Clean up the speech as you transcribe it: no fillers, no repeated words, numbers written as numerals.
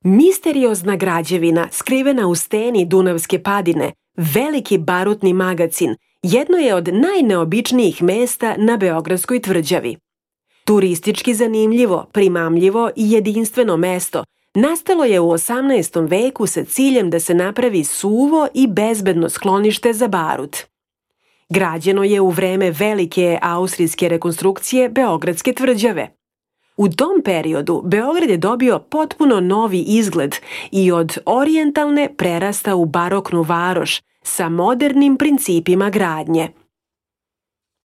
Misteriozna građevina skrivena u steni Dunavske padine, veliki barutni magacin, jedno je od najneobičnijih mesta na Beogradskoj tvrđavi. Turistički zanimljivo, primamljivo i jedinstveno mesto nastalo je u 18. veku sa ciljem da se napravi suvo i bezbedno sklonište za barut. Građeno je u vreme velike austrijske rekonstrukcije Beogradske tvrđave. U tom periodu Beograd je dobio potpuno novi izgled i od orijentalne prerasta u baroknu varoš sa modernim principima gradnje.